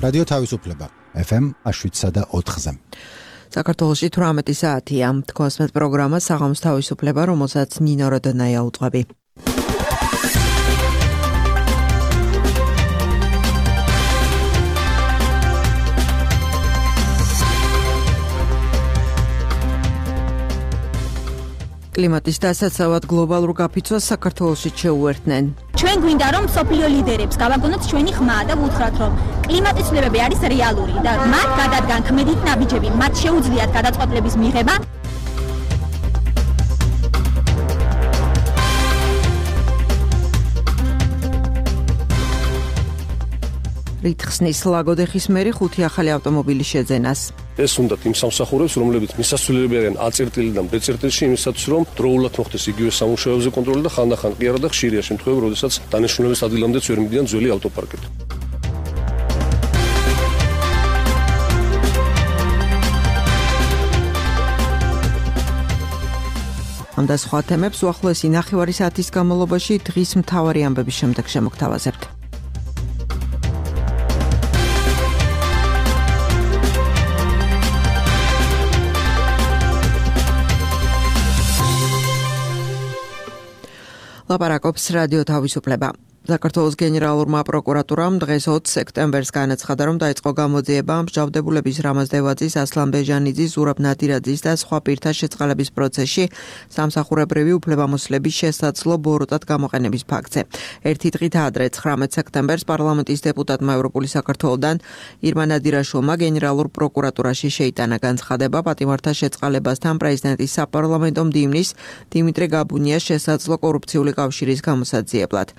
რადიო თავისუფლება FM 7.4-ზე. საქართველოში 18 საათია. თქვენს პროგრამა საღამოს თავისუფლება, რომელსაც ნინო როდონაია უძღვები. კლიმატის დასაცავად გლობალურ გაფიცვას საქართველოში შეუერთდნენ. ჩვენ გვინდა რომ სოფლიო ლიდერებს გავაგონოთ ჩვენი ხმა და ვუთხრათ რომ კლიმატის ცვლილებები არის რეალური და მათ გადადგან ქმედით ნაბიჯები, მათ შეუძლიათ გადაწყვეტილების მიღება. რითხსნის ლაგოდეხის მერი 5 ახალი ავტომობილის შეძენას. ეს უნდა იმ სამსახურებს, რომლებიც მისასვლელები არიან A-წერტილიდან B-წერტილში, იმისათვის რომ დროულად მოხდეს იგივე სამუშაოებზე კონტროლი და ხანდახან კი არა და ხშირია შემთხვევები, როდესაც დანიშნულების ადგილამდეც ვერ მიდიან ძველი ავტოპარკით. ამ და სხვა თემებს უახლოესი ნახევარი საათის განმავლობაში დღის მთავარი ამბების შემდეგ შემოგთავაზებთ. ლაპარაკობს რადიო თავისუფლება. საქართველოს გენერალურმა პროკურატურამ დღეს 20 სექტემბერს განაცხადა, რომ დაიწყო გამოძიება მსჯავრდებულების რამაზ დევაძის, ასლან ბეჟანიძის, ზურაბ ნადირაძის და სხვა პირთა შეწყალების პროცესში სამსახურებრივი უფლებამოსილების შესაძლო ბოროტად გამოყენების ფაქტზე. ერთი დღით ადრე 19 სექტემბერს პარლამენტის დეპუტატმა ევროპული საქართველოდან ირმა ნადირაშვილმა გენერალურ პროკურატურაში შეიტანა განცხადება პატიმართა შეწყალებასთან პრეზიდენტის საპარლამენტო მდივნის დიმიტრი გაბუნიას შესაძლო კორუფციული კავშირის გამოსაძიებლად.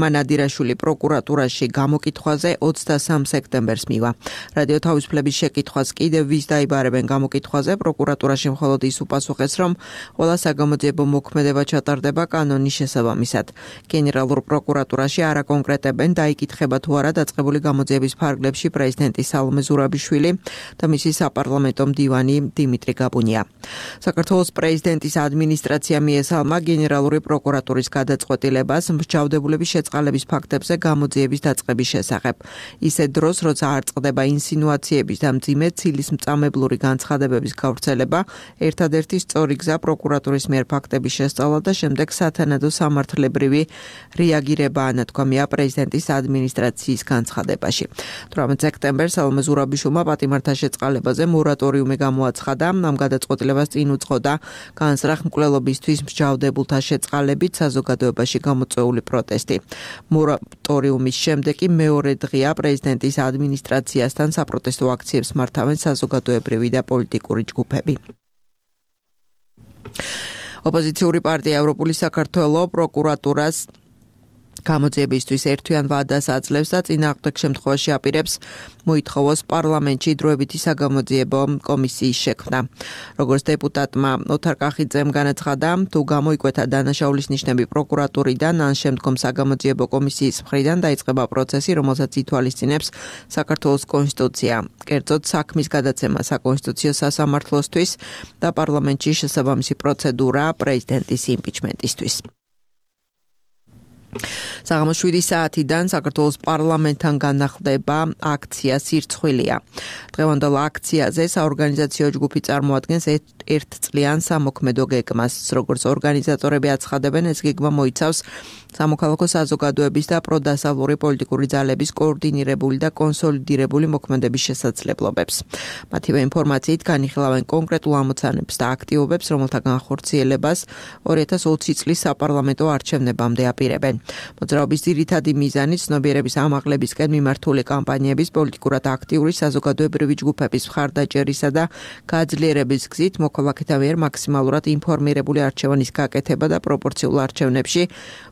ნადირაშვილი პროკურატურაში გამოკითხვაზე 23 სექტემბერს მივა. რადიო თავისუფლების შეკითხვას კიდევ ვის დაიბარებენ გამოკითხვაზე, პროკურატურაში მხოლოდ ის უპასუხეს, რომ ყველა საგამოძიებო მოქმედება ჩატარდება კანონის შესაბამისად. გენერალურ პროკურატურაში არ აკონკრეტებენ, დაიკითხება თუ არა დაწყებული გამოძიების ფარგლებში პრეზიდენტი სალომე ზურაბიშვილი და მისი საპარლამენტო მდივანი დიმიტრი გაბუნია. საქართველოს პრეზიდენტის ადმინისტრაცია მიესალმა გენერალური პროკურატურის გადაწყვეტილებას მსჯავრდებულების შეწყალების ფაქტებზე გამოძიების დაწყების შესახებ. ისე დროს, როცა არ წყდება ინსინუაციების და მძიმე ცილისმწამებლური განცხადებების გავრცელება, ერთადერთი სწორი გზა პროკურატურის მიერ ფაქტების შესწავლა და შემდეგ სათანადო სამართლებრივი რეაგირებაა, ნათქვამია პრეზიდენტის ადმინისტრაციის განცხადებაში. 18 სექტემბერს სალომე ზურაბიშვილმა პატიმართა შეწყალებაზე მორატორიუმი გამოაცხადა, ამ გადაწყვეტილებას წინ უძღოდა განსრახ მკვლელობისთვის მსჯავრდებულთა შეწყალებით საზოგადოებაში გამოწვეული პროტესტი. მორატორიუმის შემდეგ კი მეორე დღეა პრეზიდენტის ადმინისტრაციასთან საპროტესტო აქციებს მართავენ საზოგადოებრივი და პოლიტიკური ჯგუფები. ოპოზიციური პარტია ევროპული საქართველო პროკურატურას გამოძიებისთვის ერთვიან ვადას აძლევს და წინააღმდეგ შემთხვევაში აპირებს მოითხოვოს პარლამენტში დროებითი საგამოძიებო კომისიის შექმნა. როგორც დეპუტატმა ოთარ კახიძემ განაცხადა, თუ გამოიკვეთა დანაშაულის ნიშნები პროკურატურიდან, ან შემდგომ საგამოძიებო კომისიის მხრიდან დაიწყება პროცესი, რომელსაც ითვალისწინებს საქართველოს კონსტიტუცია. კერძოდ საქმის გადაცემა საკონსტიტუციო სასამართლოსთვის და პარლამენტში შესაბამისი პროცედურა პრეზიდენტის იმპიჩმენტისთვის. საღამოს 7 საათიდან საქართველოს პარლამენტთან განახლდება აქცია სირცხვილია. დღევანდელ აქციაზე საორგანიზაციო ჯგუფი წარმოადგენს ერთწლიან სამოქმედო გეგმას. როგორც ორგანიზატორები აცხადებენ, ეს გეგმა მოიცავს სამოქალაქო საზოგადოების და პროდასავლური პოლიტიკური ძალების კოორდინირებული და კონსოლიდირებული მოქმედების შესაძლებლობებს. მათივე ინფორმაციით განიხილავენ კონკრეტულ ამოცანებს და აქტივობებს, რომელთა განხორციელებას 2020 წლის საპარლამენტო არჩევნებამდე აპირებენ. მოძრაობის ძირითადი მიზანი ცნობიერების ამაღლებისკენ მიმართული კამპანიების პოლიტიკურად აქტიური საზოგადოებრივი ჯგუფების მხარდაჭერისა და გაძლიერების გზით მოქალაქეთა მიერ მაქსიმალურად ინფორმირებული არჩევანის გაკეთება და პროპორციულ არჩევნებში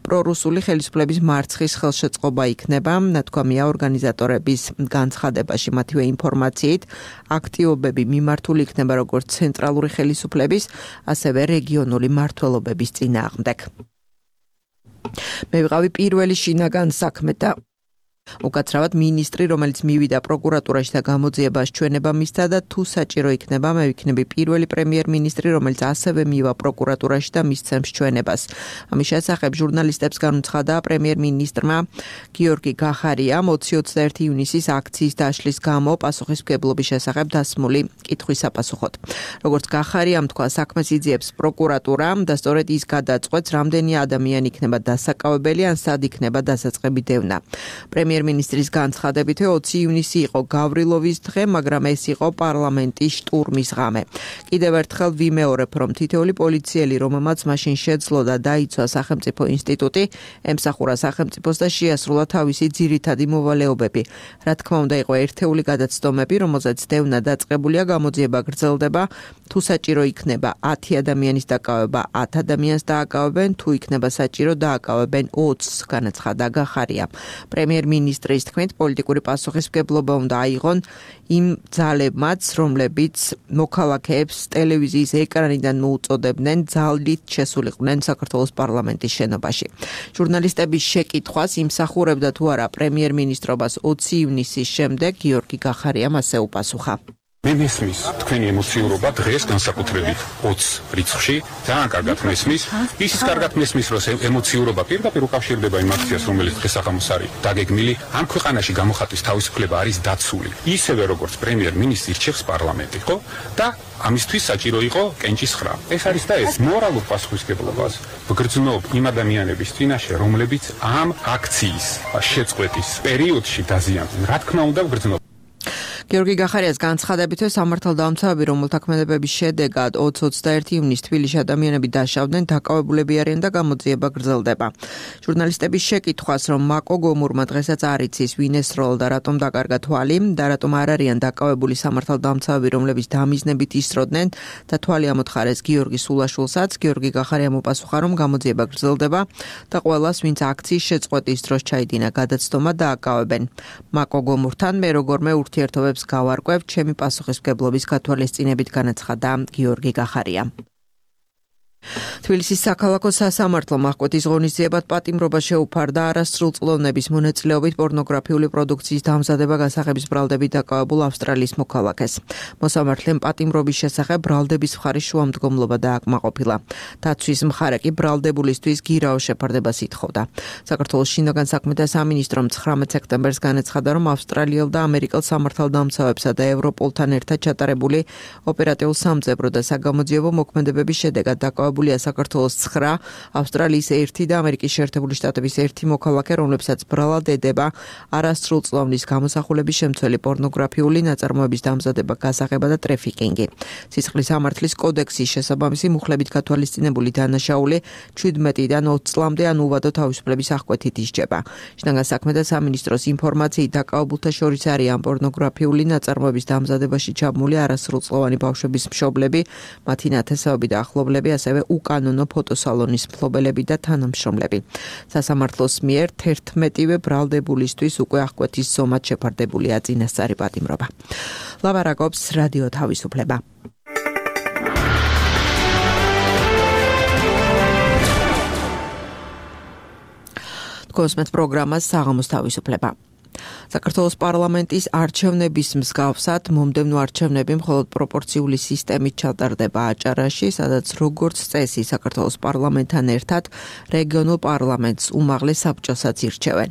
პრორუსული ხელისუფლების მარცხის ხელშეწყობა იქნება, ნათქვამია ორგანიზატორების განცხადებაში. მათივე ინფორმაციით აქტივობები მიმართული იქნება როგორც ცენტრალური ხელისუფლების, ასევე რეგიონული მმართველობების წინააღმდეგ. მე ვიყავი პირველი შინაგან საქმეთა უკაცრავად მინისტრი, რომელიც მივიდა პროკურატურაში და გამოძიებას ჩვენება მისცა და თუ საჭირო იქნება, მე ვიქნები პირველი პრემიერ-მინისტრი, რომელიც ასევე მივა პროკურატურაში და მისცემს ჩვენებას. ამის შესახებ ჟურნალისტებს განუცხადა პრემიერ-მინისტრმა გიორგი გახარიამ 20-21 ივნისის აქციის დაშლის გამო პასუხისმგებლობის შესახებ დასმული კითხვის საპასუხოდ. როგორც გახარიამ თქვა, საქმეს იძიებს პროკურატურა და სწორედ ის გადაწყვეტს, რამდენი ადამიანი იქნება დასაკავებელი ან სად იქნება დასაწყები დევნა. პრემიერ-მინისტრის განცხადებით 20 ივნისი იყო გავრილოვის დღე, მაგრამ ეს იყო პარლამენტის შტურმის ღამე. კიდევ ერთხელ ვიმეორებ, რომ თითოეული პოლიციელი, რომელმაც მაშინ შეძლო და დაიცვა სახელმწიფო ინსტიტუტი, ემსახურა სახელმწიფოს და შეასრულა თავისი ძირითადი მოვალეობები. რა თქმა უნდა, იყო ერთეული გადაცდომები, რომელზეც დევნა დაწყებულია, გამოძიება გრძელდება, თუ საჭირო იქნება 10 ადამიანის დაკავება, 10 ადამიანს დააკავებენ, თუ იქნება საჭირო დააკავებენ 20-ს, განაცხადა გახარია. პრემიერ-მინისტრის თქმით, პოლიტიკური პასუხისმგებლობა უნდა აიღონ იმ ძალებმაც, რომლებიც მოქალაქეებს ტელევიზიის ეკრანიდან მოუწოდებდნენ ძალით შესულიყვნენ საქართველოს პარლამენტის შენობაში. ჟურნალისტების შეკითხვას იმსახურებდა თუ არა პრემიერ-მინისტრობას 20 ივნისის შემდეგ, გიორგი გახარიამ ასე უპასუხა. მე მესმის თქვენი ემოციურობა დღეს განსაკუთრებით 20 რიცხვში ძალიან კარგად მესმის. ისიც კარგად მესმის, რომ ემოციურობა პირდაპირ უკავშირდება იმ აქციას, რომელიც დღეს აღამოს არის დაგეგმილი. ამ ქვეყანაში გამოხატვის თავისუფლება არის დაცული. ისევე როგორც პრემიერ-მინისტრი რჩევს პარლამენტი, ხო? და ამისთვის საჭირო იყო კენჭის ხრა. ეს არის და ეს მორალურ პასუხისმგებლობას ვგრძნობ იმ ადამიანების წინაშე, რომლებიც ამ აქციის შეწყვეტის პერიოდში დაზიანდნენ. რა თქმა უნდა ვგრძნობ. გიორგი გახარიას განცხადებითვე სამართალდამცავები, რომელთა ქმედებების შედეგად 20-21 ივნისს თბილისში ადამიანები დაშავდნენ, დაკავებულები არიან და გამოძიება გრძელდება. ჟურნალისტების შეკითხვას, რომ მაკო გომურმა დღესაც არ იცის, ვინ ესროლა და რატომ დაკარგა თვალი და რატომ არ არიან დაკავებული სამართალდამცავები, რომლებიც დამიზნებით ისროდნენ და თვალი ამოთხარეს გიორგი სულაშვილსაც, გიორგი გახარიამ უპასუხა, რომ გამოძიება გრძელდება და ყველას, ვინც აქციის შეწყვეტის დროს ჩაიდინა გადაცდომა, დააკავებენ. მაკო გომურთან მე როგორმე ურთიერთობებს გავარკვევ, ჩემი პასუხისმგებლობის გათვალისწინებით, განაცხადა გიორგი გახარია. თბილისის საქალაქო სასამართლომ აღკვეთის ღონისძიებად პატიმრობა შეუფარდა არასრულწლოვნების მონაწილეობით პორნოგრაფიული პროდუქციის დამზადება გასაღების ბრალდებით დაკავებულ ავსტრალიის მოქალაქეს. მოსამართლემ პატიმრობის შესახებ ბრალდების მხარის შუამდგომლობა დააკმაყოფილა. დაცვის მხარე კი ბრალდებულისთვის გირაო შეფარდებას ითხოვდა. საქართველოს შინაგან საქმეთა სამინისტრომ 19 სექტემბერს განაცხადა, რომ ავსტრალიელ და ამერიკელ სამართალდამცავებსა და ევროპოლთან ერთად ჩატარებული ოპერატიულ სამძებრო და საგამოძიებო მოქმედებების შედეგად დაკავებულია საქართველოს 9, ავსტრალიის 1 და ამერიკის შეერთებული შტატების 1 მოქალაქე, რომლებსაც ბრალად ედება არასრულწლოვნის გამოსახულების შემცველი პორნოგრაფიული ნაწარმოების დამზადება, გასაღება და ტრეფიკინგი. სისხლის სამართლის კოდექსის შესაბამისი მუხლებით გათვალისწინებული დანაშაული 17-დან 20 წლამდე ან უვადო თავისუფლების აღკვეთით ისჯება. შინაგან საქმეთა სამინისტროს ინფორმაციით დაკავებულთა შორის არიან პორნოგრაფიული ნაწარმოების დამზადებაში ჩაბმული არასრულწლოვანი ბავშვების მშობლები, მათი ნათესაობები და ახლობლები, ასევე უკანონო ფოტოსალონის მფლობელები და თანამშრომლები. სასამართლოს მიერ 11-ვე ბრალდებულისთვის უკვე აღკვეთის ზომად შეფარდებულია წინასწარი პატიმრობა. ლაბარაკობს რადიო თავისუფლება. კონსმეთ პროგრამას საღამოს თავისუფლება. საქართველოს პარლამენტის არჩევნების მსგავსად მომდევნო არჩევნები მხოლოდ პროპორციული სისტემით ჩატარდება აჭარაში, სადაც როგორც წესი საქართველოს პარლამენტთან ერთად რეგიონულ პარლამენტს უმაღლეს საბჭოსაც ირჩევენ.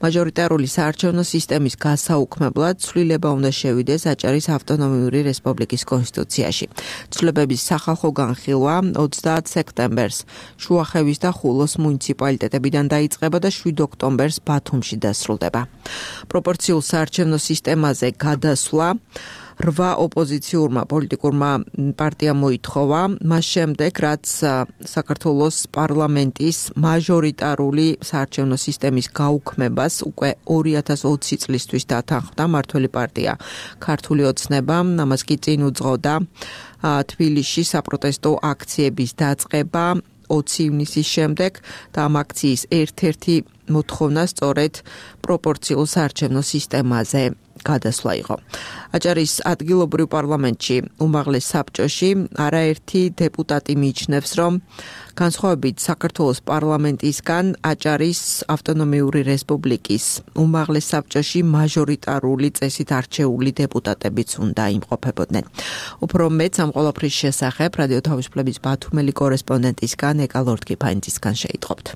მაჟორიტარული საარჩევნო სისტემის გასაუქმებლად ცვლილება უნდა შევიდეს აჭარის ავტონომიური რესპუბლიკის კონსტიტუციაში. ცვლილებების სახალხო განხილვა 30 სექტემბერს შუახევის და ხულოს მუნიციპალიტეტებიდან დაიწყება და 7 ოქტომბერს ბათუმში დასრულდება. პროპორციულ საარჩევნო სისტემაზე გადასვლა 8 ოპოზიციურმა პოლიტიკურმა პარტიამ მოითხოვა, მას შემდეგ, რაც საქართველოს პარლამენტის მაჟორიტარული საარჩევნო სისტემის გაუქმებას უკვე 2020 წლისთვის დათანხმდა მართველი პარტია ქართული ოცნება, ამას კი წინ უძღოდა თბილისში საპროტესტო აქციების დაწყება 20 ივნისის შემდეგ და ამ აქციის ერთ-ერთი მოთხოვნა სწორედ პროპორციულ საარჩევნო სისტემაზე გადასვლა იყო. აჭარის ადგილობრივ პარლამენტში უმაღლეს საბჭოში არაერთი დეპუტატი მიიჩნევს, რომ განსხვავებით საქართველოს პარლამენტისგან აჭარის ავტონომიური რესპუბლიკის უმაღლეს საბჭოში მაჟორიტარული წესით არჩეული დეპუტატებიც უნდა იმყოფებოდნენ. უფრო მეტ ამ ყველაფრის შესახებ რადიო თავისუფლების ბათუმელი კორესპონდენტისგან ეკა ლორდ-კიფაინძისგან შეიტყობთ.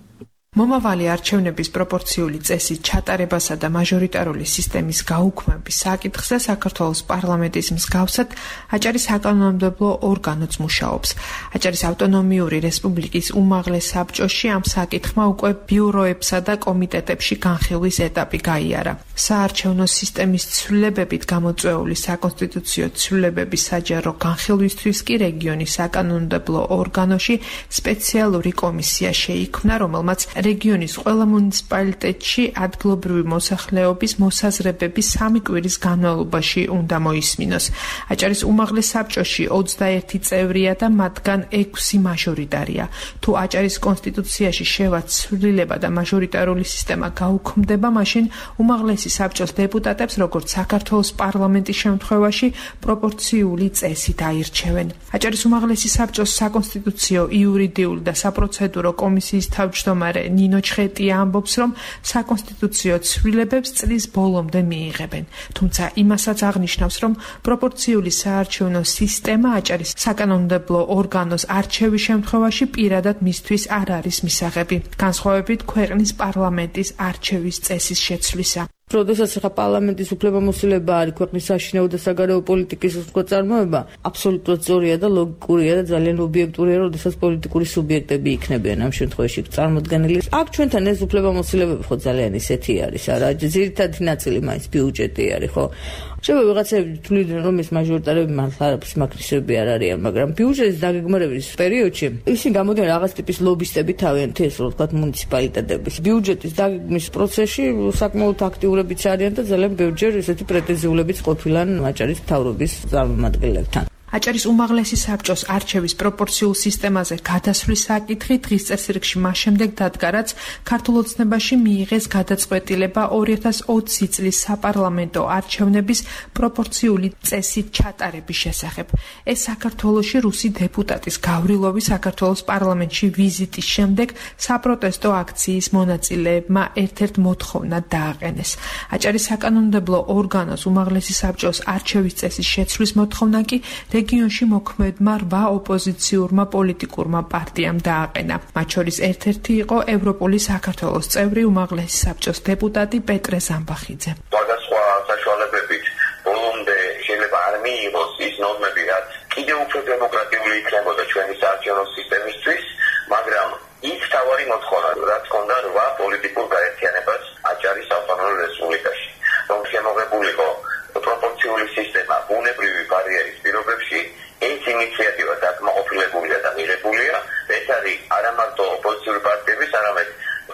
მომავალი არჩევნების პროპორციული წესის ჩატარებასა და მაჟორიტარული სისტემის გაუქმების საკითხზე საქართველოს პარლამენტის მსგავსად აჭარის საკანონმდებლო ორგანოც მუშაობს. აჭარის ავტონომიური რესპუბლიკის უმაღლეს საბჭოში ამ საკითხმა უკვე ბიუროებსა და კომიტეტებში განხილვის ეტაპი გაიარა. საარჩევნო სისტემის ცვლილებებით გამოწვეული საკონსტიტუციო ცვლილებების საჯარო განხილვისთვის კი რეგიონის საკანონმდებლო ორგანოში სპეციალური კომისია შეიქმნა, რომელმაც რეგიონის ყველა მუნიციპალიტეტში ადგილობრივი მოსახლეობის მოსაზრებები 3 კვირის განმავლობაში უნდა მოისმინოს. აჭარის უმაღლეს საბჭოში 21 წევრია და მათგან 6 მაჟორიტარია. თუ აჭარის კონსტიტუციაში შევა ცვლილება და მაჟორიტარული სისტემა გაუქმდება, მაშინ უმაღლესი საბჭოს დეპუტატებს, როგორც საქართველოს პარლამენტის შემთხვევაში, პროპორციული წესით აირჩევენ. აჭარის უმაღლესი საბჭოს საკონსტიტუციო, იურიდიული და საპროცედურო კომისიის თავმჯდომარე ნინო ჩხეტია ამბობს, რომ საკონსტიტუციო ცვლილებებს წლის ბოლომდე მიიღებენ. თუმცა იმასაც აღნიშნავს, რომ პროპორციული საარჩევნო სისტემა აჭარის საკანონმდებლო ორგანოს არჩევის შემთხვევაში პირადად მისთვის არ არის მისაღები, განსხვავებით ქვეყნის პარლამენტის არჩევის წესის შეცვლისა. როდესაც ხა პარლამენტის უფლებამოსილება არის ქვეყნის საშინაო და საგარეო პოლიტიკის უწყოწარმოება, აბსოლუტურად სწორია და ლოგიკურია და ძალიან ობიექტურია, როდესაც პოლიტიკური სუბიექტები იქნებიან ამ შემთხვევაში წარმოდგენილი. აქ ჩვენთან ეს უფლებამოსილებები ხო ძალიან ისეთი არის, არა, ძირითადი ნაწილი მაინც ბიუჯეტი არის, ხო? შეიძლება ვიღაცები თვლიდნენ, რომ ეს მაჟორიტარები მართლა არაფრის მაქრისები არ არიან, მაგრამ ბიუჯეტის დაგეგმარების პერიოდში ისინი გამოდიან რაღაც ტიპის ლობისტები თავიანთი, ესე რომ ვთქვათ, მუნიციპალიტეტების. ბიუჯეტის დაგეგმვის პროცესში საკმაოდ აქტიურებიც არიან და ძალიან ბევრჯერ ესეთი პრეტენზიულებიც ყოფილან აჭარის მთავრობის წარმომადგენლებთან. აჭარის უმაღლესი საბჭოს არჩევის პროპორციულ სისტემაზე გადასვლის საკითხი დღის წესრიგში მას შემდეგ დადგა, რაც ქართულ ოცნებაში მიიღეს გადაწყვეტილება 2020 წლის საპარლამენტო არჩევნების პროპორციული წესით ჩატარების შესახებ. ეს საქართველოში რუსი დეპუტატის გავრილოვის საქართველოს პარლამენტში ვიზიტის შემდეგ საპროტესტო აქციის მონაწილეებმა ერთ-ერთ მოთხოვნად დააყენეს. აჭარის საკანონმდებლო ორგანოს უმაღლესი საბჭოს არჩევის წესის შეცვლის მოთხოვნა კი რეგიონში მოქმედმა 8 ოპოზიციურმა პოლიტიკურმა პარტიამ დააყენა. მათ შორის ერთ-ერთი იყო ევროპული საქართველოს წევრი უმაღლესი საბჭოს დეპუტატი პეტრე ზამბახიძე. სხვადასხვა საშუალებებით ბოლომდე შეიძლება არ მიიღოს ის ნორმები, რაც კიდევ უფრო დემოკრატიული იქნებოდა ჩვენი საარჩევნო სისტემისთვის, მაგრამ ის თავარი მოთხოვნა, რაც ჰქონდა 8 პოლიტიკურ გაერთიანებას აჭარის ავტონომიურ რესპუბლიკაში, რომ შემოღებულიყო პროპორციული სისტემა ბუნებრივი ბარიერის პირობებში. ეს ინიციატივა დაკმაყოფილებულია და მიღებულია. ეს არის არა მარტო ოპოზიციური პარტიების, არამედ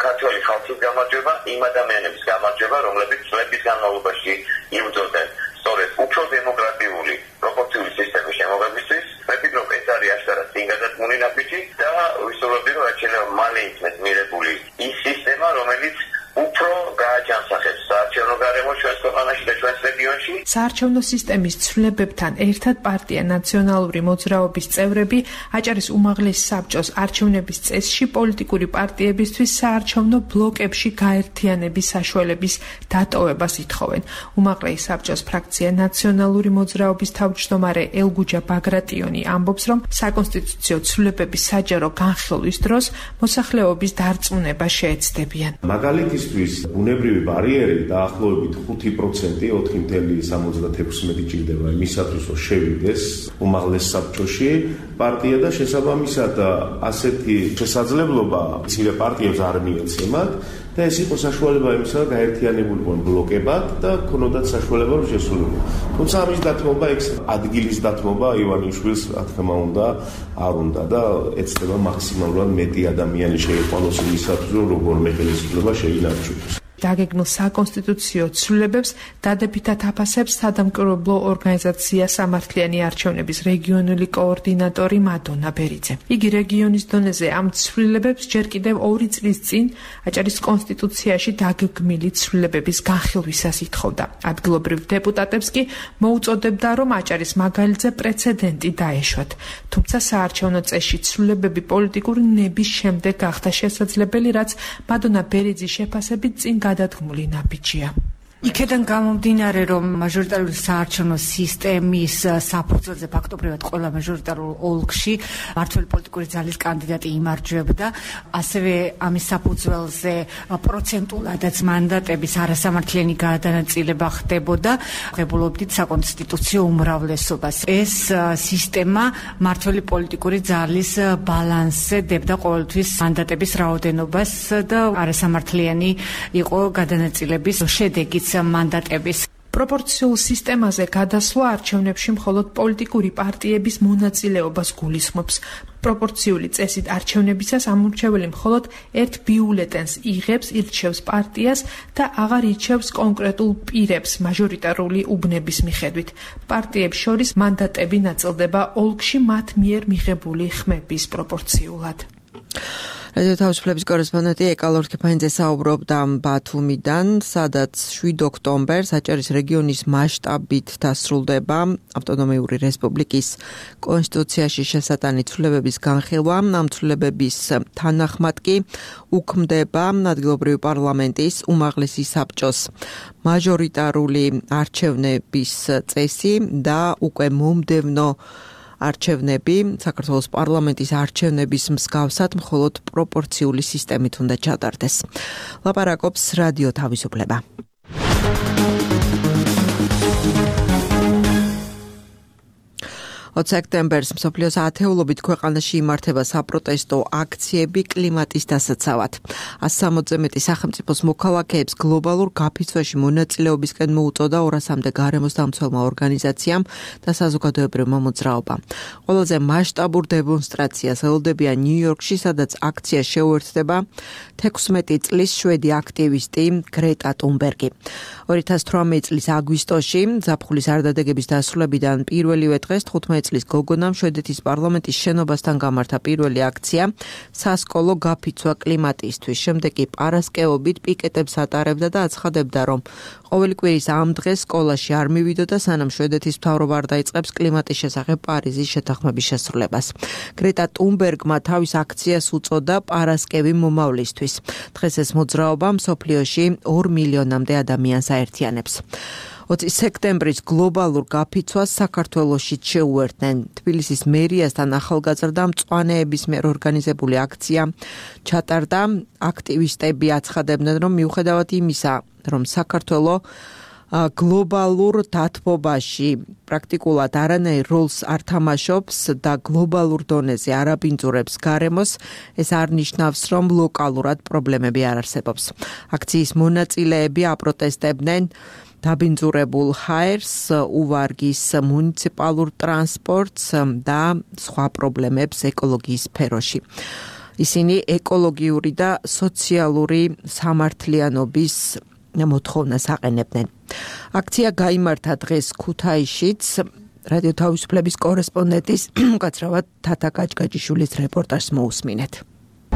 ქართველი ხალხის გამარჯვება, იმ ადამიანების გამარჯვება, რომლებიც წლების განმავლობაში იბრძოდნენ სწორედ უფრო დემოკრატიული პროპორციული სისტემის შემოღებისთვის. მე ვფიქრობ, ეს არის აშკარად წინგადადგმული ნაბიჯი და ვისურვებდი, რომ რაც შეიძლება მალე იქნეს მიღებული ის სისტემა, რომელიც უფრო გააჯანსაღებს საარჩევნო გარემო ჩვენს ქვეყანაში და ჩვენს რეგიონში. საარჩევნო სისტემის ცვლილებებთან ერთად პარტია ნაციონალური მოძრაობის წევრები აჭარის უმაღლეს საბჭოს არჩევნების წესში პოლიტიკური პარტიებისთვის საარჩევნო ბლოკებში გაერთიანების საშუალების დატოვებას ითხოვენ. უმაღლეს საბჭოს ფრაქცია ნაციონალური მოძრაობის თავმჯდომარე ელგუჯა ბაგრატიონი ამბობს, რომ საკონსტიტუციო ცვლილებების საჯარო განხილვის დროს მოსახლეობის დარწმუნება შეეცდებიან. მაგალითისთვის ბუნებრივი ბარიერი დაახლოებით 5%, 4.76 ჭირდება იმისათვის, რომ შევიდეს უმაღლეს საბჭოში პარტია და შესაბამისად ასეთი შესაძლებლობა მცირე პარტიებს არ მიეცემათ და ეს იყო საშუალება იმისა, რომ გაერთიანებულიყვნენ ბლოკებად და ქონოდათ საშუალება, რომ შესულიყო. თუმცა ამის დათმობა, ადგილის დათმობა ივანიშვილს, რა თქმა უნდა, არ უნდა და ეცდება მაქსიმალურად მეტი ადამიანი შეიყვანოს იმისათვის, რომ როგორმე ხელისუფლება შეინარჩუნოს. დაგეგმილ საკონსტიტუციო ცვლილებებს დადებითად აფასებს სადამკვირვებლო ორგანიზაცია სამართლიანი არჩევნების რეგიონული კოორდინატორი მადონა ბერიძე. იგი რეგიონის დონეზე ამ ცვლილებებს ჯერ კიდევ 2 წლის წინ აჭარის კონსტიტუციაში დაგეგმილი ცვლილებების განხილვისას ითხოვდა. ადგილობრივ დეპუტატებს კი მოუწოდებდა, რომ აჭარის მაგალითზე პრეცედენტი დაეშვათ. თუმცა საარჩევნო წესში ცვლილებები პოლიტიკური ნების შემდეგ გახდა შესაძლებელი, რაც მადონა ბერიძის შეფასებით წინ გადადგმული ნაბიჯია. იქედან გამომდინარე, რომ მაჟორიტარული საარჩევნო სისტემის საფუძველზე ფაქტობრივად ყველა მაჟორიტარულ ოლქში მმართველი პოლიტიკური ძალის კანდიდატი იმარჯვებდა, ასევე ამის საფუძველზე პროცენტულადაც მანდატების არასამართლიანი გადანაწილება ხდებოდა, ღებულობდით საკონსტიტუციო უმრავლესობას. ეს სისტემა მმართველი პოლიტიკური ძალის ბალანსზე დებდა ყოველთვის მანდატების რაოდენობას და არასამართლიანი იყო გადანაწილების შედეგიც მანდატების. პროპორციულ სისტემაზე გადასვლა არჩევნებში მხოლოდ პოლიტიკური პარტიების მონაწილეობას გულისხმობს. პროპორციული წესით არჩევნებისას ამორჩეველი მხოლოდ ერთ ბიულეტენს იღებს, ირჩევს პარტიას და აღარ ირჩევს კონკრეტულ პირებს მაჟორიტარული უბნების მიხედვით. პარტიებს შორის მანდატები ნაწილდება ოლქში მათ მიერ მიღებული ხმების პროპორციულად. რადიო თავისუფლების კორესპონდენტი ეკალორ ქეფანიძე საუბრობდა ბათუმიდან, სადაც 7 ოქტომბერს აჭარის რეგიონის მასშტაბით დასრულდება ავტონომიური რესპუბლიკის კონსტიტუციაში შესატანი ცვლილებების განხილვა. ამ ცვლილებების თანახმად კი უქმდება ადგილობრივი პარლამენტის უმაღლესი საბჭოს მაჟორიტარული არჩევნების წესი და უკვე მომდევნო არჩევნები საქართველოს პარლამენტის არჩევნების მსგავსად მხოლოდ პროპორციული სისტემით უნდა ჩატარდეს. ლაპარაკობს რადიო თავისუფლება. 20 სექტემბერს მსოფლიოს ათეულობით ქვეყანაში იმართება საპროტესტო აქციები კლიმატის დასაცავად. 160-ზე მეტი სახელმწიფოს მოქალაქეებს გლობალურ გაფიცვაში მონაწილეობისკენ მოუწოდა 200-მდე გარემოს დამცველმა ორგანიზაციამ და საზოგადოებრივმა მოძრაობამ. ყველაზე მასშტაბურ დემონსტრაციას ელოდებია ნიუ-იორკში, სადაც აქცია შეუერთდება 16 წლის შვედი აქტივისტი გრეტა ტუნბერგი. 2018 წლის აგვისტოში ზაფხულის არდადეგების დასრულებიდან პირველივე დღეს 15 წლის გოგონამ შვედეთის პარლამენტის შენობასთან გამართა პირველი აქცია სასკოლო გაფიცვა კლიმატისთვის. შემდეგ კი პარასკევობით პიკეტებს ატარებდა და აცხადებდა, რომ ყოველი კვირის ამ დღეს სკოლაში არ მივიდოდა, სანამ შვედეთის მთავრობა არ დაიწყებს კლიმატის შესახებ პარიზის შეთანხმების შესრულებას. გრეტა ტუნბერგმა თავის აქციას უწოდა პარასკევი მომავლისთვის. დღეს ეს მოძრაობა მსოფლიოში 2 მილიონამდე ადამიანს აერთიანებს. 20 სექტემბრის გლობალურ გაფიცვას საქართველოში შეუერთდნენ. თბილისის მერიასთან ახალგაზრდა მწვანეების მიერ ორგანიზებული აქცია ჩატარდა. აქტივისტები აცხადებდნენ, რომ მიუხედავად იმისა, რომ საქართველო გლობალურ დათბობაში პრაქტიკულად არანაირ როლს არ თამაშობს და გლობალურ დონეზე არ აბინძურებს გარემოს, ეს არ ნიშნავს, რომ ლოკალურად პრობლემები არ არსებობს. აქციის მონაწილეები აპროტესტებდნენ დაბინძურებულ ჰაერს, უვარგის მუნიციპალურ ტრანსპორტს და სხვა პრობლემებს ეკოლოგიის სფეროში. ისინი ეკოლოგიური და სოციალური სამართლიანობის მოთხოვნას აყენებდნენ. აქცია გაიმართა დღეს ქუთაისშიც. რადიო თავისუფლების კორესპონდენტის უკაცრავად თათა გაჭგაჭიშვილის რეპორტაჟს მოусმინეთ.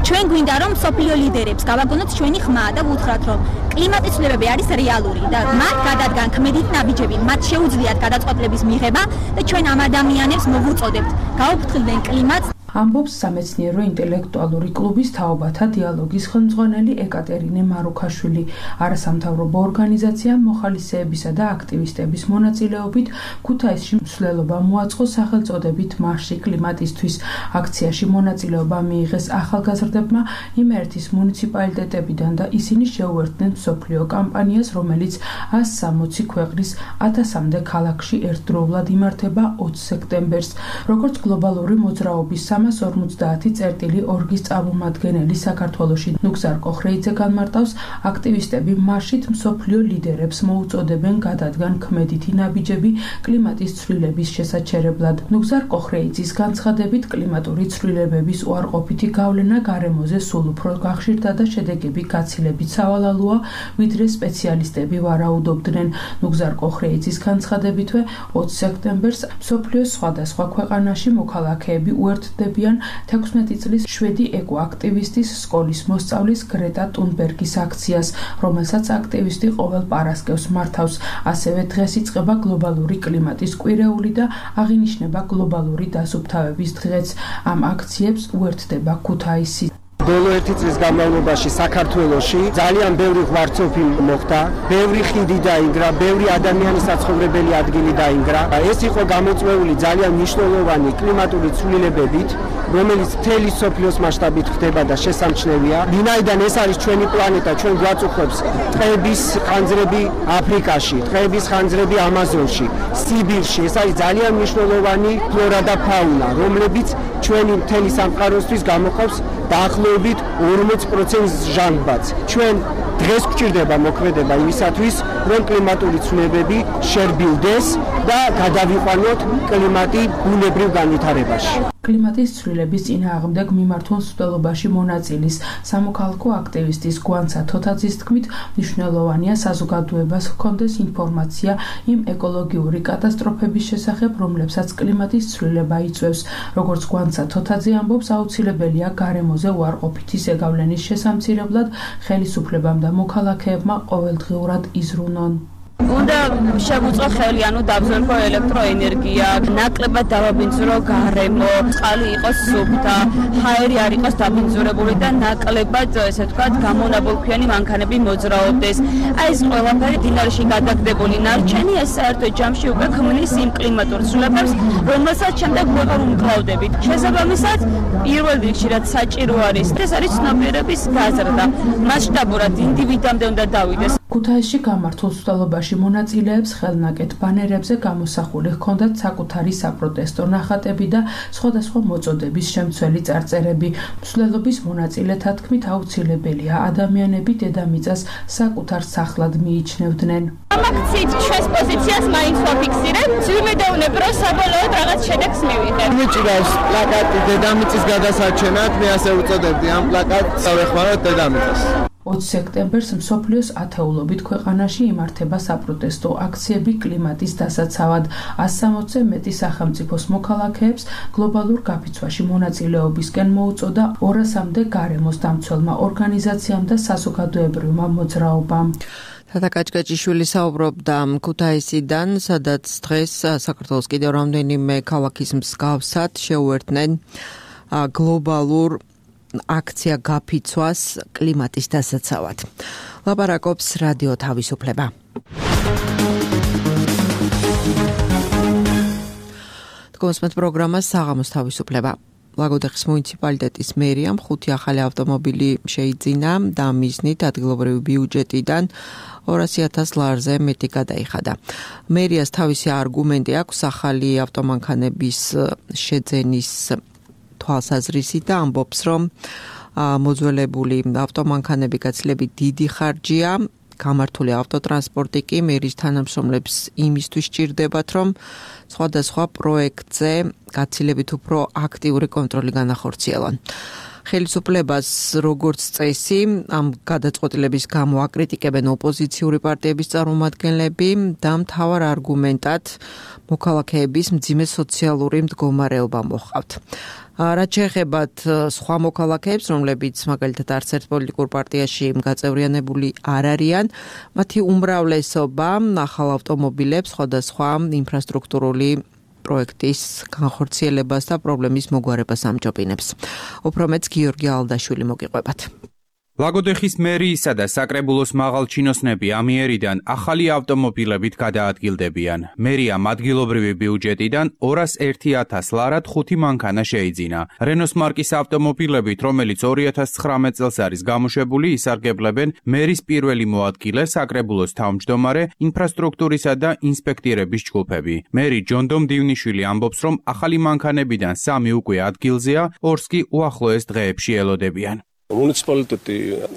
ჩვენ გვინდა რომ სოფლიო ლიდერებს გავაგონოთ ჩვენი ხმა და ვუთხრათ რომ კლიმატის ცვლილებები არის რეალური და მათ გადადგან ქმედით ნაბიჯები, მათ შეუძლიათ გადაწყვეტილების მიღება და ჩვენ ამ ადამიანებს მოვუწოდებთ გაუფრთხილდნენ კლიმატს. ამბობს სამეცნიერო ინტელექტუალური კლუბის თაობათა დიალოგის ხელმძღვანელი ეკატერინე მარუქაშვილი. არასამთავრობო ორგანიზაცია მოხალისეებისა და აქტივისტების მონაწილეობით ქუთაისში მსვლელობა მოაწყო სახელწოდებით მარში კლიმატისთვის. აქციაში მონაწილეობა მიიღეს ახალგაზრდებმა იმერეთის მუნიციპალიტეტებიდან და ისინი შეუერთდნენ მსოფლიო კამპანიას, რომელიც 160 ქვეყნის 1000-მდე ქალაქში ერთდროულად იმართება 20 სექტემბერს. როგორც გლობალური მოძრაობის 350.2-ის წარმომადგენელი საქართველოში. ნუგზარ კოხრეიძე განმარტავს, აქტივისტები მარშით მსოფლიო ლიდერებს მოუწოდებენ გადადგან ქმედითი ნაბიჯები კლიმატის ცვლილების შესაჩერებლად. ნუგზარ კოხრეიძის განცხადებით, კლიმატური ცვლილებების უარყოფითი გავლენა გარემოზე სულ უფრო გახშირდა და შედეგები გაცილებით სავალალოა, ვიდრე სპეციალისტები ვარაუდობდნენ. ნუგზარ კოხრეიძის განცხადებითვე 20 სექტემბერს მსოფლიოს სხვადასხვა ქვეყანაში მოქალაქეები უერთდებიან 16 წლის შვედი ეკოაქტივისტის სკოლის მოსწავლის გრეტა ტუნბერგის აქციას, რომელსაც აქტივისტი ყოველ პარასკევს მართავს. ასევე დღეს იწყება გლობალური კლიმატის კვირეული და აღინიშნება გლობალური დასუფთავების დღეც. ამ აქციებს უერთდება ქუთაისი. ბოლო 1 წლის განმავლობაში საქართველოში ძალიან ბევრი ღვარცოფი მოხდა, ბევრი ხიდი დაინგრა, ბევრი ადამიანის საცხოვრებელი ადგილი დაინგრა. ეს იყო გამოწვეული ძალიან მნიშვნელოვანი კლიმატური ცვლილებებით, რომელიც მთელი სოფლიოს მასშტაბით ხდება და შესამჩნევია. ვინაიდან ეს არის ჩვენი პლანეტა, ჩვენ გვაწუხებს ტყეების ხანძრები აფრიკაში, ტყეების ხანძრები ამაზონში, სიბირში. ეს არის ძალიან მნიშვნელოვანი ფლორა და ფაუნა, რომლებიც ჩვენი მთელი სამყაროსთვის გამოყოფს დაახლოებით 40% ჟანგბადს. ჩვენ დღეს გვჭირდება მოქმედება იმისათვის, რომ კლიმატური ცვლილებები შერბილდეს და გადავიყვანოთ კლიმატი ბუნებრივ განვითარებაში. კლიმატის ცვლილების წინააღმდეგ მიმართულ მსვლელობაში მონაწილის სამოქალაქო აქტივისტის გვანცა თოთაძის თქმით, მნიშვნელოვანია საზოგადოებას ჰქონდეს ინფორმაცია იმ ეკოლოგიური კატასტროფების შესახებ, რომლებსაც კლიმატის ცვლილება იწვევს. როგორც გვანცა თოთაძე ამბობს, აუცილებელია გარემოზე უარყოფითი ზეგავლენის შესამცირებლად ხელისუფლებამ და მოქალაქეებმა ყოველდღიურად იზრუნონ. უნდა შეგვუწყო ხელი, დავზრუნო ელექტროენერგია, ნაკლებად დავაბინძურო გარემო, წყალი იყოს სუფთა, ჰაერი არ იყოს დაბინძურებული და ნაკლებად, ესე ვთქვათ, გამონაბოლქვიანი მანქანები მოძრაობდეს. აი ეს ყველაფერი დინარში გადაგდებული ნარჩენი ეს საერთო ჯამში უკვე ქმნის იმ კლიმატურ ცვლილებებს, რომელსაც შემდეგ ვეღარ უმკლავდებით. შესაბამისად, პირველ რიგში რაც საჭირო არის, ეს არის ცნობიერების გაზრდა. მასშტაბურად ინდივიდამდე უნდა დავიდეს. ქუთაისში გამართულ მსვლელობაში მონაწილეებს ხელნაკეთ ბანერებზე გამოსახული ჰქონდათ საკუთარი საპროტესტო ნახატები და სხვადასხვა მოწოდების შემცველი წარწერები. მსვლელობის მონაწილეთა თქმით, აუცილებელია ადამიანები დედამიწას საკუთარ სახლად მიიჩნევდნენ. ამ აქციით ჩვენს პოზიციას მაინც ვაფიქსირებთ. ვიმედოვნებ, რომ საბოლოოდ რაღაც შედეგს მივიღებთ. მიჭირავს პლაკატი დედამიწის გადასარჩენად, მე ასე უწოდებდი ამ პლაკატს ავეხმაროთ დედამიწას. 20 სექტემბერს მსოფლიოს ათეულობით ქვეყანაში იმართება საპროტესტო აქციები კლიმატის დასაცავად. 160-ზე მეტი სახელმწიფოს მოქალაქეებს გლობალურ გაფიცვაში მონაწილეობისკენ მოუწოდა 200-მდე გარემოს დამცველმა ორგანიზაციამ და საზოგადოებრივმა მოძრაობამ. თათა კაჭკაჭიშვილი საუბრობდა ქუთაისიდან, სადაც დღეს საქართველოს კიდევ რამდენიმე ქალაქის მსგავსად შეუერთდნენ გლობალურ აქცია გაფიცვას კლიმატის დასაცავად. ლაპარაკობს რადიო თავისუფლება. თქოსმეთ პროგრამას საღამოს თავისუფლება. ლაგოდეხის მუნიციპალიტეტის მერიამ 5 ახალი ავტომობილი შეიძინა და მიზნით ადგილობრივი ბიუჯეტიდან 200,000 ლარზე მეტი გადაიხადა. მერიას თავისი არგუმენტი აქვს ახალი ავტომანქანების შეძენის თვალსაზრისით და ამბობს, რომ მოძველებული ავტომანქანები გაცილებით დიდი ხარჯია, გამართული ავტოტრანსპორტი კი მერის თანამშრომლებს იმისთვის სჭირდებათ, რომ სხვადასხვა პროექტზე გაცილებით უფრო აქტიური კონტროლი განახორციელონ. ხელისუფლებას როგორც წესი ამ გადაწყვეტილების გამო აკრიტიკებენ ოპოზიციური პარტიების წარმომადგენლები და მთავარ არგუმენტად მოქალაქეების მძიმე სოციალური მდგომარეობა მოჰყავთ. რაც შეეხებათ სხვა მოქალაქეებს, რომლებიც მაგალითად არც ერთ პოლიტიკურ პარტიაში გაწევრიანებული არ არიან, მათი უმრავლესობა ახალ ავტომობილებს სხვადასხვა ინფრასტრუქტურული პროექტის განხორციელებას და პრობლემის მოგვარებას ამჯობინებს. უფრო მეც გიორგი ალდაშვილი მოგიყვებათ. ლაგოდეხის მერიისა და საკრებულოს მაღალჩინოსნები ამიერიდან ახალი ავტომობილებით გადაადგილდებიან. მერიამ ადგილობრივი ბიუჯეტიდან 201,000 ლარად 5 მანქანა შეიძინა. რენოს მარკის ავტომობილებით, რომელიც 2019 წელს არის გამოშვებული, ისარგებლებენ მერის პირველი მოადგილე, საკრებულოს თავმჯდომარე, ინფრასტრუქტურისა და ინსპექტირების ჯგუფები. მერი ჯონდომ დივნიშვილი ამბობს, რომ ახალი მანქანებიდან 3 უკვე ადგილზეა, 2 კი უახლოეს დღეებში ელოდებიან. მუნიციპალიტეტი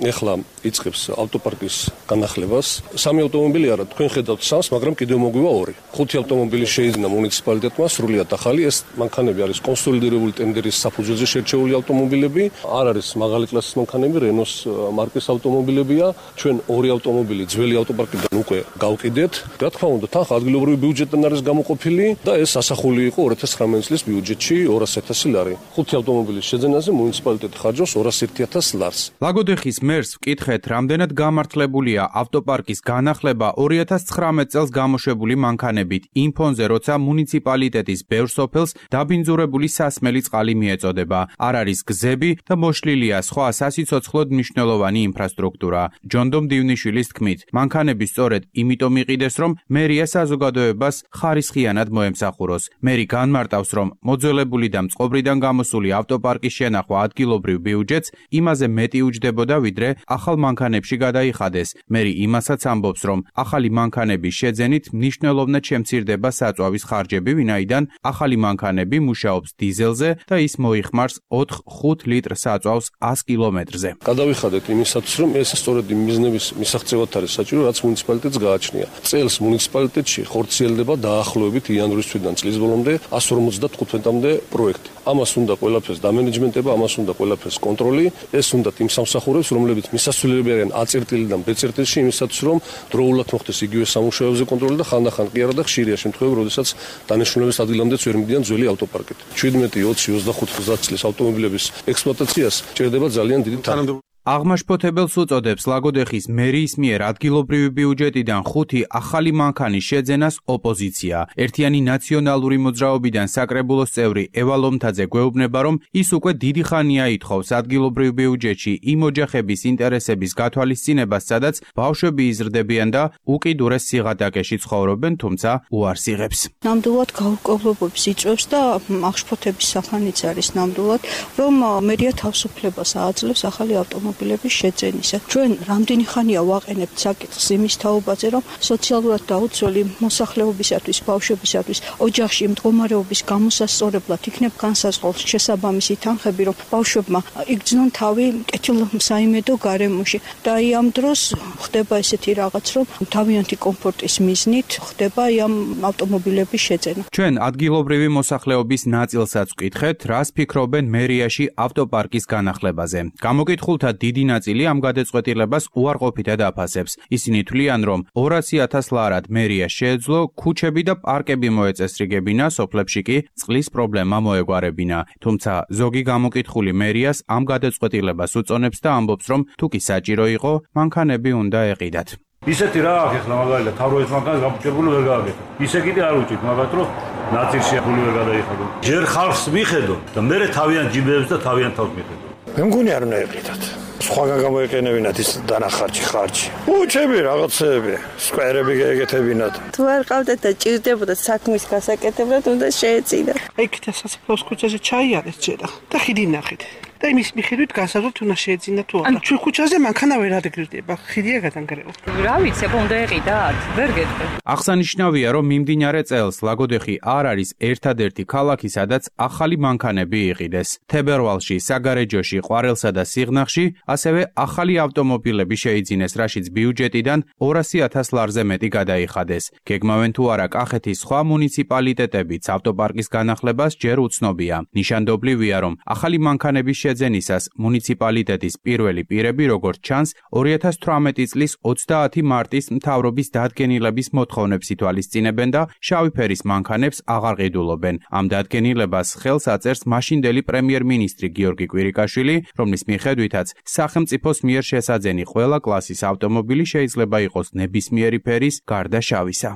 ეხლა იწყებს ავტოპარკის განახლებას. 3 ავტომობილი არა, თქვენ ხედავთ 3-ს, მაგრამ კიდევ მოგვივა 2. 5 ავტომობილი შეიძინა მუნიციპალიტეტმა, სრულიად ახალი. ეს მანქანები არის კონსოლიდირებული ტენდერის საფუძველზე შერჩეული ავტომობილები. არ არის მაღალი კლასის მანქანები, რენოს მარკის ავტომობილებია. ჩვენ 2 ავტომობილი ძველი ავტოპარკიდან უკვე გავყიდეთ. რა თქმა უნდა, თანხა ადგილობრივი ბიუჯეტიდან არის გამოყოფილი და ეს ასახული იყო 2019 წლის ბიუჯეტში 200,000 ლარი. 5 ავტომობილის შეძენაზე მუნიციპალიტეტი ხარჯავს 201,000 ლარს. ლაგოდეხის მერს ვკითხეთ, რამდენად გამართლებულია ავტოპარკის განახლება 2019 წელს გამოშვებული მანქანებით იმ ფონზე, როცა მუნიციპალიტეტის ბევრ სოფელს დაბინძურებული სასმელი წყალი მიეწოდება. არ არის გზები და მოშლილია სხვა სასიცოცხლოდ მნიშვნელოვანი ინფრასტრუქტურა. ჯონდომ დივნიშვილის თქმით, მანქანები სწორედ იმიტომ იყიდეს, რომ მერია საზოგადოებას ხარისხიანად მოემსახუროს. მერი განმარტავს, რომ მოძველებული და მწყობრიდან გამოსული ავტოპარკის შენახვა ადგილობრივ ბიუჯეტს იმაზე მეტი უჯდებოდა, ვიდრე ახალ მანქანებში გადაიხადეს. მერი იმასაც ამბობს, რომ ახალი მანქანების შეძენით მნიშვნელოვნად შემცირდება საწვავის ხარჯები, ვინაიდან ახალი მანქანები მუშაობს დიზელზე და ის მოიხმარს 4-5 ლიტრ საწვავს 100 კილომეტრზე. გადავიხადეთ იმისათვის, რომ ეს სწორედ იმ მიზნების მისაღწევად არის საჭირო, რაც მუნიციპალიტეტს გააჩნია. წელს მუნიციპალიტეტში ხორციელდება დაახლოებით იანვრის თვიდან წლის ბოლომდე 155-მდე პროექტი. ამას უნდა ყველაფერს დამენეჯმენტება, ამას უნდა ყველაფერს კონტროლი. ეს უნდა იმ სამსახურებს, რომლებიც მისასვლელები არიან A-წერტილი და B-წერტილში, იმისათვის, რომ დროულად მოხდეს იგივე სამუშაოებზე კონტროლი და ხანდახან კი არა და ხშირია შემთხვევები, როდესაც დანიშნულების ადგილამდეც ვერ მიდიან ძველი ავტოპარკით. 17, 20, 25, 30 წლის ავტომობილების ექსპლუატაციას ჭირდება ძალიან დიდი თანხმობა. აღმაშფოთებელს უწოდებს ლაგოდეხის მერიის მიერ ადგილობრივი ბიუჯეტიდან 5 ახალი მანქანის შეძენას ოპოზიცია. ერთიანი ნაციონალური მოძრაობიდან საკრებულოს წევრი ევა ლომთაძე გვეუბნება, რომ ის უკვე დიდი ხანია ითხოვს ადგილობრივ ბიუჯეტში იმ ოჯახების ინტერესების გათვალისწინებას, სადაც ბავშვები იზრდებიან და უკიდურეს სიღატაკეში ცხოვრობენ, თუმცა უარს იღებს. ნამდვილად გაურკვევლობებს იწვევს და აღშფოთების სახანიც არის ნამდვილად, რომ მერია თავისუფლებას აძლევს ახალი ავტომობილების შეძენისა. ჩვენ რამდენი ხანია ვაყენებთ საკითხს იმის თაობაზე, რომ სოციალურად დაუცველი მოსახლეობისათვის, ბავშვებისათვის, ოჯახში მდგომარეობის გამოსასწორებლად იქნებ განსაზღვრულ შესაბამისი თანხები, რომ ბავშვებმა იგრძნონ თავი კეთილსაიმედო გარემოში. და ამ დროს ხდება ესეთი რაღაც, რომ თავიანთი კომფორტის მიზნით ხდება ამ ავტომობილების შეძენა. ჩვენ ადგილობრივი მოსახლეობის ნაწილსაც ვკითხეთ, რას ფიქრობენ მერიაში ავტოპარკის განახლებაზე. გამოკითხულთა დიდი ნაწილი ამ გადაწყვეტილებას უარყოფითად აფასებს. ისინი თვლიან, რომ 200,000 ლარად მერია შეეძლო ქუჩები და პარკები მოეწესრიგებინა, სოფლებში კი წყლის პრობლემა მოეგვარებინა. თუმცა ზოგი გამოკითხული მერიას ამ გადაწყვეტილებას უწონებს და ამბობს, რომ თუ კი საჭირო იყო, მანქანები უნდა ეყიდათ. ისეთი რა აქვს ახლა მაგალითად თავროის მანქანას გაფუჭებული ვერ გააკეთო. ისე კიდე არ უჭირთ, მაგათ რომ ნაწილში ფული ვერ გადაიხადო. ჯერ ხალხს მიხედო და მე თავიანთ ჯიბებს და თავიანთ თავს მიხედო. მე მგონი არ უნდა ეყიდათ. სხვაგან გამოეკენებინათ ის დანახარჯი, ხარჯი. უჩები რაღაცები, სკვერები გაეკეთებინათ. თუ არ ყავდათ და ჭირდებოდა საქმის გასაკეთებლად, უნდა შეეწინათ. იქით სასაფლაოს ქუჩაზე ჩაიარეს ჯერა და ხიდი ნახეთ. და იმის მიხედვით გასაზრდოთ უნდა შეეძინა თუ არა. ჩვენ ქუჩაზე მანქანა ვერ ადგილდება, ხიდია გადანგრევა. რა ვიცი, უნდა ეყიდათ? ვერ გეტყვი. აღსანიშნავია, რომ მიმდინარე წელს ლაგოდეხი არ არის ერთადერთი ქალაქი, სადაც ახალი მანქანები იყიდეს. თებერვალში, საგარეჯოში, ყვარელსა და სიღნაღში ასევე ახალი ავტომობილები შეიძინეს, რაშიც ბიუჯეტიდან 200,000 ლარზე მეტი გადაიხადეს. გეგმავენ თუ არა კახეთის სხვა მუნიციპალიტეტებიც ავტოპარკის განახლებას ჯერ უცნობია. ნიშანდობლივია, რომ ახალი მანქანების შეძენისას მუნიციპალიტეტის პირველი პირები, როგორც ჩანს, 2018 წლის 30 მარტის მთავრობის დადგენილების მოთხოვნებს ითვალისწინებენ და შავი ფერის მანქანებს აღარ ყიდულობენ. ამ დადგენილებას ხელს აწერს მაშინდელი პრემიერ-მინისტრი გიორგი კვირიკაშვილი, რომლის მიხედვითაც სახელმწიფოს მიერ შესაძენი ყველა კლასის ავტომობილი შეიძლება იყოს ნებისმიერი ფერის გარდა შავისა.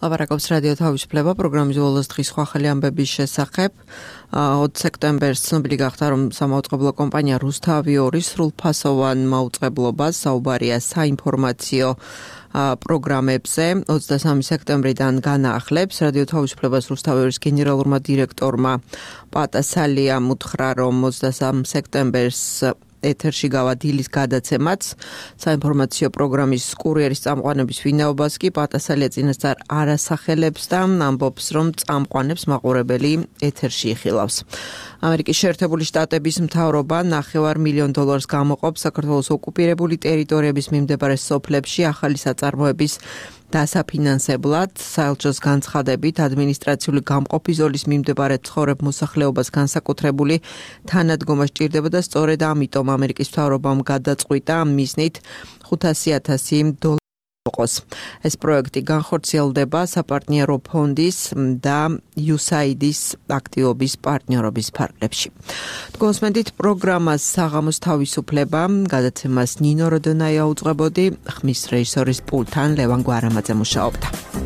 ლაპარაკობს რადიო თავისუფლება პროგრამის ბოლოს დღის სხვა ხელი ამბების შესახებ. 20 სექტემბერს ცნობილი გახდა, რომ სამაუწყებლო კომპანია რუსთავი-2 სრულფასოვან მაუწყებლობას საუბარია საინფორმაციო პროგრამებზე 23 სექტემბრიდან განაახლებს. რადიო თავისუფლებას რუსთავი-2 გენერალურმა დირექტორმა პატასალიამ უთხრა, რომ 23 სექტემბერს ეთერში გავა დილის გადაცემაც საინფორმაციო პროგრამის კურიერის წამყვანების ვინაობას კი პატასალია წინასწარ არ ასახელებს და ამბობს, რომ წამყვანებს მაყურებელი ეთერში იხილავს. ამერიკის შეერთებული შტატების მთავრობა $9 მილიონ გამოყოფს საქართველოს ოკუპირებული ტერიტორიების მიმდებარე სოფლებში ახალი საწარმოების დასაფინანსებლად. საელჩოს განცხადებით ადმინისტრაციული გამყოფი ზოლის მიმდებარე ცხოვრებ მოსახლეობას განსაკუთრებული თანადგომა სჭირდება და სწორედ ამიტომ ამერიკის მთავრობამ გადაწყვიტა მიზნით $500,000 იყოს. ეს პროექტი განხორციელდება საპარტნიორო ფონდის და USAID-ის აქტივობის პარტნიორობის ფარგლებში. გოსმენდით პროგრამას საღამოს თავისუფლება გადაცემას ნინო როდონაია უძღვებოდი, ხმის რეჟისორის პულთან ლევან გვარამაძე მუშაობდა.